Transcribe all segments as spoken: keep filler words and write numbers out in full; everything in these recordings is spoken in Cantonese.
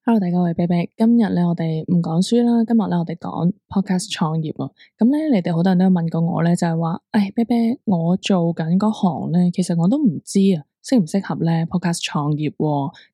Hello，大家好，我係啤啤。今日咧，我哋唔講書啦。今日咧，我哋講 podcast 創業啊。咁咧，你哋好多人都有問過我咧，就係話，誒，啤啤，我做緊嗰行咧，其實我都唔知啊，適唔適合咧 podcast 創業。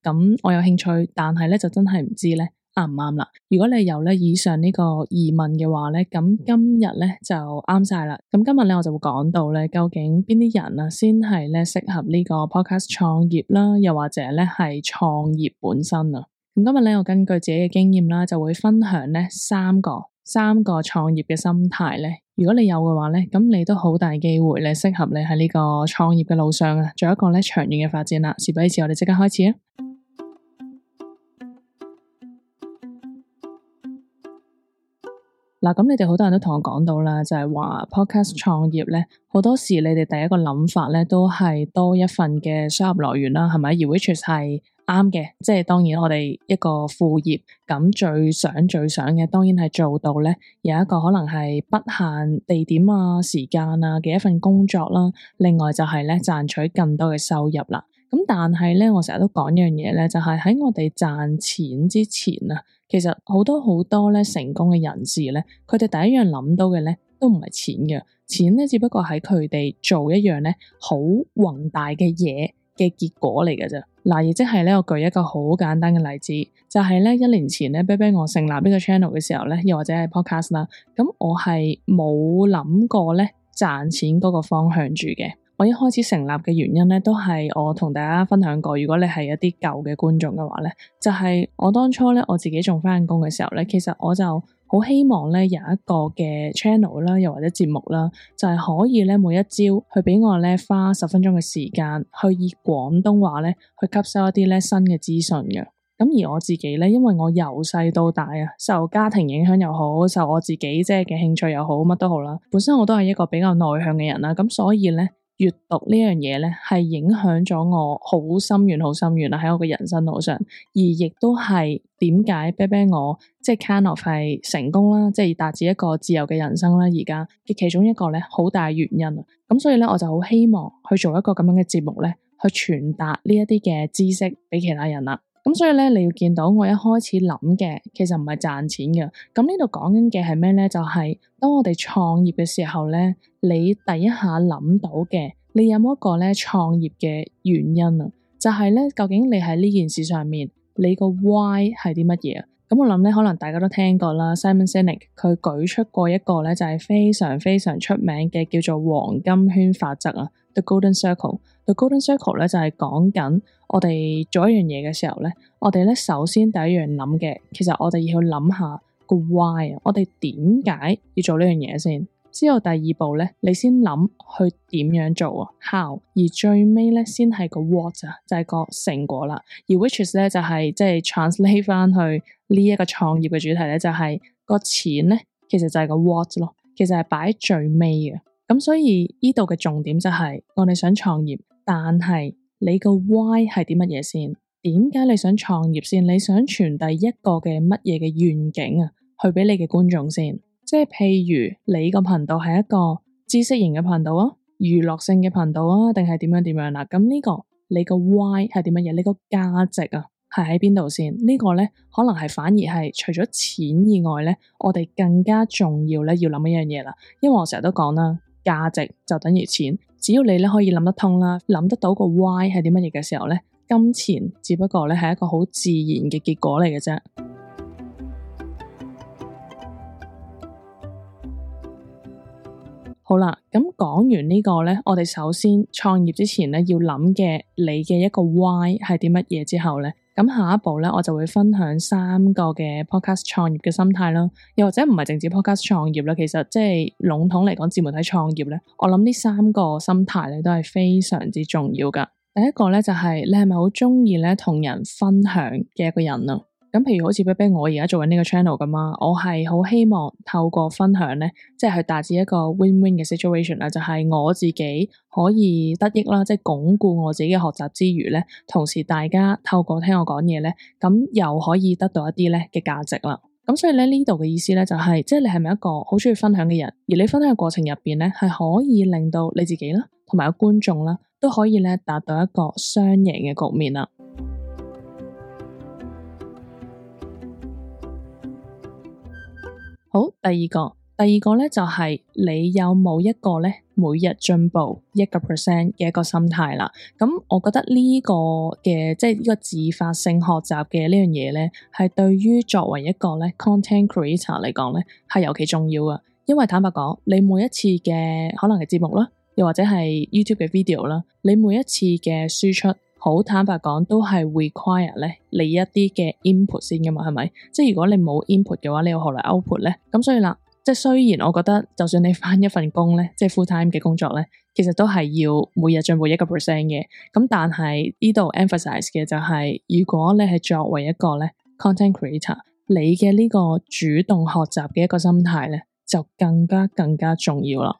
咁我有興趣，但係咧就真係唔知咧啱唔啱啦。如果你有咧以上呢個疑問嘅話咧，咁今日咧就啱晒啦。咁今日咧我就會講到咧，究竟邊啲人啊先係咧適合呢個 podcast 創業啦，又或者咧係創業本身啊。咁今日咧，我根據自己嘅經驗啦，就會分享咧三個三個創業嘅心態咧。如果你有嘅話咧，咁你都好大機會咧，適合你喺呢個創業嘅路上啊，做一個咧長遠嘅發展啦。事不宜遲，我哋即刻開始啊！嗱，咁你哋好多人都同我講到啦，就係話 podcast 創業咧，好多時你哋第一個諗法咧，都係多一份嘅收入來源啦，係咪？而 which is 係啱嘅，即係當然我哋一個副業，咁最想最想嘅，當然係做到咧，有一個可能係不限地點啊、時間啊嘅一份工作啦。另外就係咧賺取更多嘅收入啦。咁但係咧，我成日都講一樣嘢咧，就係喺我哋賺錢之前啊，其實好多好多咧成功嘅人士咧，佢哋第一樣諗到嘅咧，都唔係錢嘅，錢咧只不過喺佢哋做一樣咧好宏大嘅嘢嘅結果嚟嘅啫。嗱，亦即係咧，我舉一個好簡單嘅例子，就係咧一年前咧，啤啤我成立呢個 channel 嘅時候咧，又或者係 podcast 啦，咁我係冇諗過咧賺錢嗰個方向住嘅。我一開始成立嘅原因咧，都係我同大家分享過。如果你係一啲舊嘅觀眾嘅話咧，就係我當初咧我自己仲返工嘅時候咧，其實我就好希望咧有一個嘅 channel 啦，又或者節目啦，就係可以咧每一朝去俾我咧花十分鐘嘅時間，去以廣東話咧去吸收一啲咧新嘅資訊嘅。咁而我自己咧，因為我由細到大啊，受家庭影響又好，受我自己即係嘅興趣又好，乜都好啦。本身我都係一個比較內向嘅人啦，咁所以咧，閱讀呢樣嘢咧，係影響咗我好深遠、好深遠啦，喺我嘅人生路上，而亦都係點解啤啤我即係 kind of 係成功啦，即係達至一個自由嘅人生啦，而家嘅其中一個咧，好大原因啊！咁所以咧，我就好希望去做一個咁樣嘅節目咧，去傳達呢一啲嘅知識俾其他人啦。咁所以咧，你要見到我一開始諗嘅，其實唔係賺錢嘅。咁呢度講緊嘅係咩咧？就係當我哋創業嘅時候咧，你第一下諗到嘅，你有冇一個咧創業嘅原因啊？就係咧，究竟你喺呢件事上面，你個 why 係啲乜嘢啊？咁我諗咧，可能大家都聽過啦，Simon Sinek 佢舉出過一個咧，就係非常非常出名嘅叫做黃金圈法則啊 ，The Golden Circle。The Golden Circle 咧就係講緊我哋做一樣嘢嘅時候咧，我哋咧首先第一樣諗嘅，其實我哋要諗下個 why 啊，我哋點解要做呢樣嘢先？之後第二步咧，你先諗去點樣做啊 ，how，而最尾咧先係個 what 啊，就係個成果啦。而 which is 咧就係即係 translate 翻去呢一個創業嘅主題咧，就係個錢咧，其實就係個 what 咯，其實係擺喺最尾嘅。咁所以呢度嘅重點就係我哋想創業，但係你個 why 係啲乜嘢先？點解你想創業先？你想傳遞一個嘅乜嘢嘅願景啊，去俾你嘅觀眾先？即係譬如你個頻道係一個知識型嘅頻道啊，娛樂性嘅頻道啊，定係點樣點樣啦？咁呢個你個 why 係點乜嘢？你個價值啊係喺邊度先？呢個咧可能係反而係除咗錢以外咧，我哋更加重要咧要諗一樣嘢啦。因為我成日都講啦，價值就等於錢，只要你咧可以諗得通啦，諗得到個 why 係啲乜嘢嘅時候咧，金錢只不過咧係一個好自然嘅結果嚟嘅啫。好啦，咁講完呢個咧，我哋首先創業之前咧要諗嘅你嘅一個 why 係啲乜嘢之後咧，咁下一步咧我就會分享三個嘅 podcast 創業嘅心態啦，又或者唔係淨止 podcast 創業啦，其實即係籠統嚟講自媒體創業咧，我諗呢三個心態咧都係非常之重要噶。第一個咧就係你係咪好中意咧同人分享嘅一個人啊？咁譬如好似啤啤我而家做緊呢個 channel 咁啊，我係好希望透過分享咧，即係去達至一個 win-win 嘅 situation 啦，就係我自己可以得益啦，即係鞏固我自己嘅學習之餘咧，同時大家透過聽我講嘢咧，咁又可以得到一啲咧嘅價值啦。咁所以咧呢度嘅意思咧就係，即係你係咪一個好中意分享嘅人，而你分享嘅過程入邊咧係可以令到你自己啦，同埋個觀眾啦都可以咧達到一個雙贏嘅局面啦。好，第二個，第二個咧就係、是、你有冇一個咧每日進步一個 percent 嘅一個心態啦。咁我覺得呢個嘅即係呢個自發性學習嘅呢樣嘢咧，係對於作為一個咧 content creator 嚟講咧係尤其重要噶。因為坦白講，你每一次嘅可能係節目啦，又或者係 YouTube 嘅 video 啦，你每一次嘅輸出，好坦白講都係 require 咧你一啲嘅 input 先噶嘛，係咪？即係如果你冇 input 嘅話，你又何來 output 咧？咁所以啦，即係雖然我覺得，就算你返一份工咧，即係 full time 嘅工作咧，其實都係要每日進步一個 percent 嘅。咁但係呢度 emphasize 嘅就係、是，如果你係作為一個咧 content creator，你嘅呢個主動學習嘅一個心態咧，就更加更加重要啦。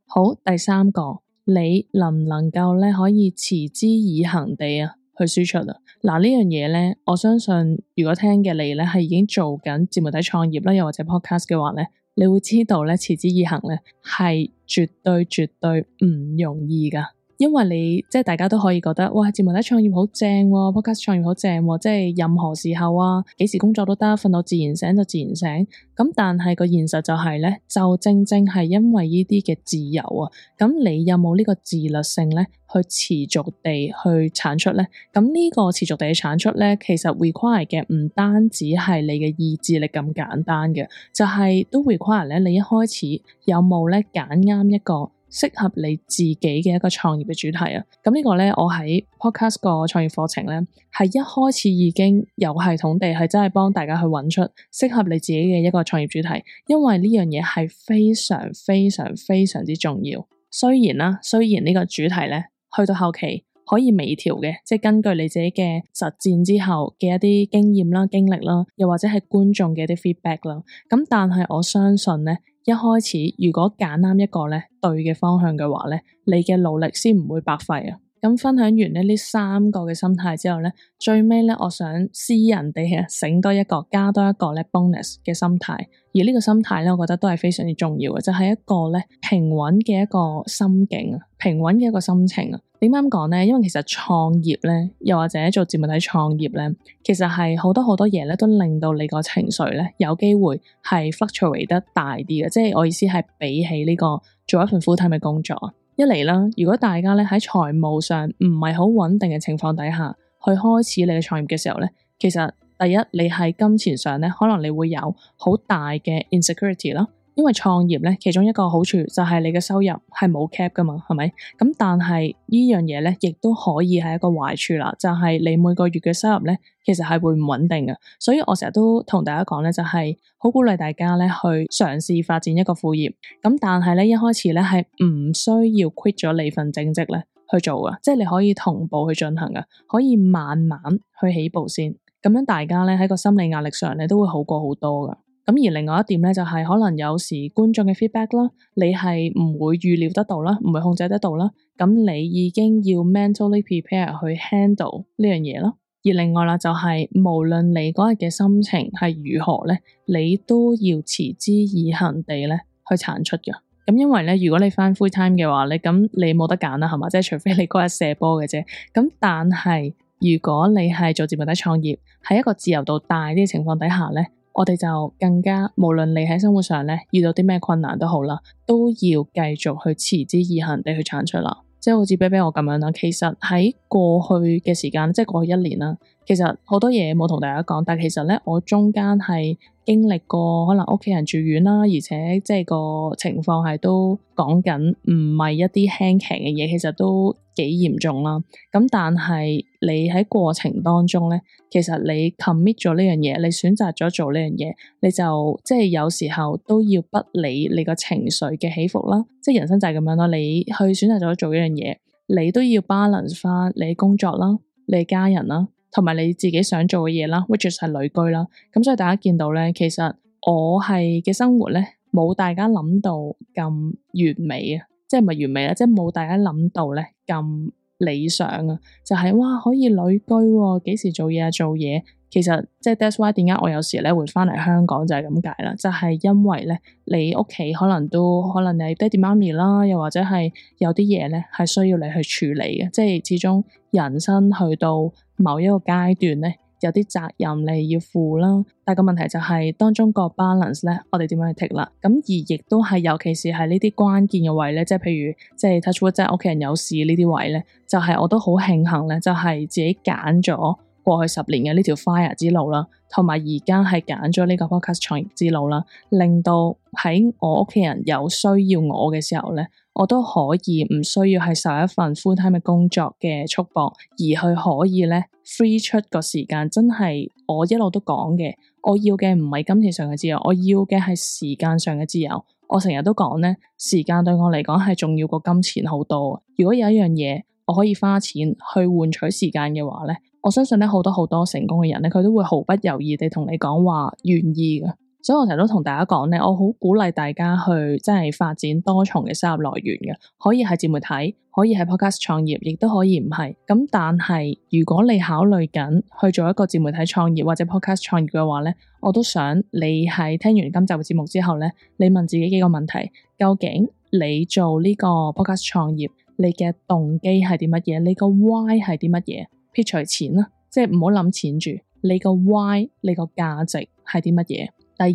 好，第三個，你能唔能夠咧可以持之以恆地啊去輸出啊？嗱，呢樣嘢咧，我相信如果聽嘅你咧係已經做緊自媒體創業啦，又或者 podcast 嘅話咧，你會知道咧持之以恆咧係絕對絕對唔容易噶。因為你即係大家都可以覺得，哇，自媒體創業好正喎，podcast 創業好正喎，即係任何時候啊，幾時工作都得，瞓到自然醒就自然醒。咁但係個現實就係咧，就正正係因為呢啲嘅自由啊，咁你有冇呢個自律性咧，去持續地去產出咧？咁呢個持續地去產出咧，其實 require 嘅唔單止係你嘅意志力咁簡單嘅，就係、是、都 require 咧，你一開始有冇咧揀啱一個適合你自己嘅一個創業嘅主題啊。咁呢個咧，我喺 podcast 個創業課程咧，係一開始已經有系統地係真係幫大家去揾出適合你自己嘅一個創業主題，因為呢樣嘢係非常非常非常之重要。雖然啦，雖然呢個主題咧去到後期可以微調嘅，即係根據你自己嘅實戰之後嘅一啲經驗啦、經歷啦，又或者係觀眾嘅一啲 feedback 啦。咁但係我相信咧，一開始如果揀啱一個咧對嘅方向嘅話咧，你嘅努力先唔會白費啊！咁分享完咧呢三個嘅心態之後咧，最尾咧我想私人地啊醒多一個，加多一個咧 bonus 嘅心態。而呢個心態咧，我覺得都係非常之重要嘅，就係、是、一個咧平穩嘅一個心境啊，平穩嘅一個心情啊。點解咁講咧？因為其實創業咧，又或者做自媒體創業咧，其實係好多好多嘢咧，都令到你個情緒咧有機會係 fluctuate 得大啲嘅。即係我意思係比起呢個做一份 full time 嘅工作啊，一嚟啦，如果大家咧喺財務上唔係好穩定嘅情況底下，去開始你嘅創業嘅時候咧，其實第一你喺金錢上咧，可能你會有好大嘅 insecurity 啦。因為創業咧，其中一個好處就係你嘅收入係冇 cap 噶嘛，係咪？咁但係呢樣嘢咧，亦都可以係一個壞處啦，就係你每個月嘅收入咧，其實係會唔穩定嘅。所以我成日都同大家講咧，就係好鼓勵大家咧去嘗試發展一個副業。咁但係咧，一開始咧係唔需要 quit 咗你份正職咧去做噶，即係你可以同步去進行噶，可以慢慢去起步先。咁樣大家咧喺個心理壓力上咧都會好過好多噶。咁而另外一點咧，就係可能有時觀眾嘅 feedback 啦，你係唔會預料得到啦，唔會控制得到啦。咁你已經要 mentally prepare 去 handle 呢樣嘢啦。而另外啦，就係無論你嗰日嘅心情係如何咧，你都要持之以恆地咧去產出嘅。咁因為咧，如果你返 full time 嘅話咧，咁你冇得揀啦，係嘛？即係除非你嗰日射波嘅啫。咁但係如果你係做自媒體創業，喺一個自由度大啲嘅情況底下咧，我哋就更加，無論你喺生活上咧遇到啲咩困難都好啦，都要繼續去持之以恆地去產出啦。即係好似比比我咁樣啦，其實喺過去嘅時間，即係過去一年啦，其實好多嘢冇同大家講，但係其實咧我中間係經歷過可能屋企人住院啦，而且即係個情況係都講緊唔係一啲輕騎嘅嘢，其實都幾嚴重啦。咁但係你喺過程當中咧，其實你 commit 咗呢樣嘢，你選擇咗做呢樣嘢，你就即係有時候都要不理你個情緒嘅起伏啦。即係人生就係咁樣咯，你去選擇咗做一樣嘢，你都要 balance 翻你工作啦、你家人啦，同埋你自己想做嘅嘢啦 which is 係旅居啦。咁所以大家見到咧，其實我係嘅生活咧，冇大家諗到咁完美啊，即係唔係完美啦，即係冇大家諗到咧咁理想啊。就係、是、哇可以旅居喎，幾時做嘢啊做嘢，其實即係 that's why 點解我有時咧會翻嚟香港就係咁解啦，就係因為咧你屋企可能都可能你爹哋媽咪啦，又或者係有啲嘢咧係需要你去處理嘅，即係始終人生去到某一個階段咧，有啲責任你要負啦。但係個問題就係當中個 balance 咧，我哋點樣去 take 啦？咁而亦都係尤其是係呢啲關鍵嘅位咧，即係譬如即係 touch wood，即係屋企人有事呢啲位咧，就係、是、我都好慶幸咧，就係、是、自己揀咗過去十年嘅呢條 fire 之路啦，同埋而家係揀咗呢個 podcast 創業之路啦，令到喺我屋企人有需要我嘅時候咧，我都可以唔需要係受一份 full time 嘅工作嘅束縛，而去可以咧 free 出個時間，真係我一路都講嘅，我要嘅唔係金錢上嘅自由，我要嘅係時間上嘅自由。我成日都講咧，時間對我嚟講係重要過金錢好多。如果有一樣嘢我可以花錢去換取時間嘅話咧，我相信咧好多好多成功嘅人咧，佢都會毫不猶豫地同你講話願意嘅。所以我成日都同大家講咧，我好鼓勵大家去真係發展多重嘅收入來源嘅，可以係自媒體，可以係 podcast 創業，亦都可以唔係。咁但係如果你考慮緊去做一個自媒體創業或者 podcast 創業嘅話咧，我都想你喺聽完今集嘅節目之後咧，你問自己幾個問題：究竟你做呢個 podcast 創業，你嘅動機係啲乜嘢？你個 why 係啲乜嘢？撇除錢啦，即係唔好諗錢住。你個 why， 你個價值係啲乜嘢？第二，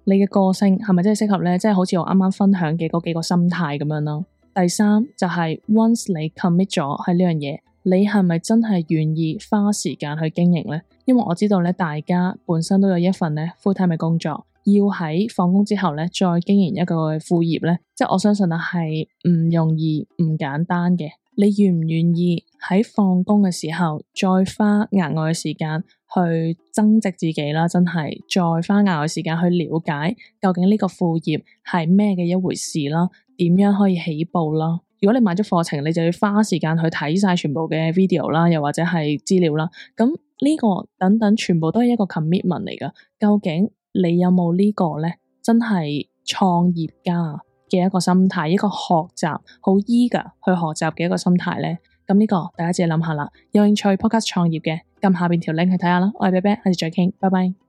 你嘅個性係咪真係適合咧？即係好似我啱啱分享嘅嗰幾個心態咁樣咯。第三就係 once 你 commit 咗係呢樣嘢，你係咪真係願意花時間去經營咧？因為我知道咧，大家本身都有一份咧 full time 嘅工作，要喺放工之後咧再經營一個副業咧，即係我相信啊係唔容易、唔簡單嘅。你願唔願意喺放工嘅時候再花額外嘅時間去增值自己啦？真係再花額外時間去了解究竟呢個副業係咩嘅一回事啦？點樣可以起步啦？如果你買咗課程，你就要花時間去睇晒全部嘅 video 啦，又或者係資料啦。咁呢個等等全部都係一個 commitment 嚟噶。究竟你有冇呢個咧？真係創業家嘅一個心態，一個學習好 eager 去學習嘅一個心態咧，咁呢個大家自己諗下啦。有興趣 podcast 創業嘅，撳下邊條 link 去睇下啦。我係啤啤，下次再傾，拜拜。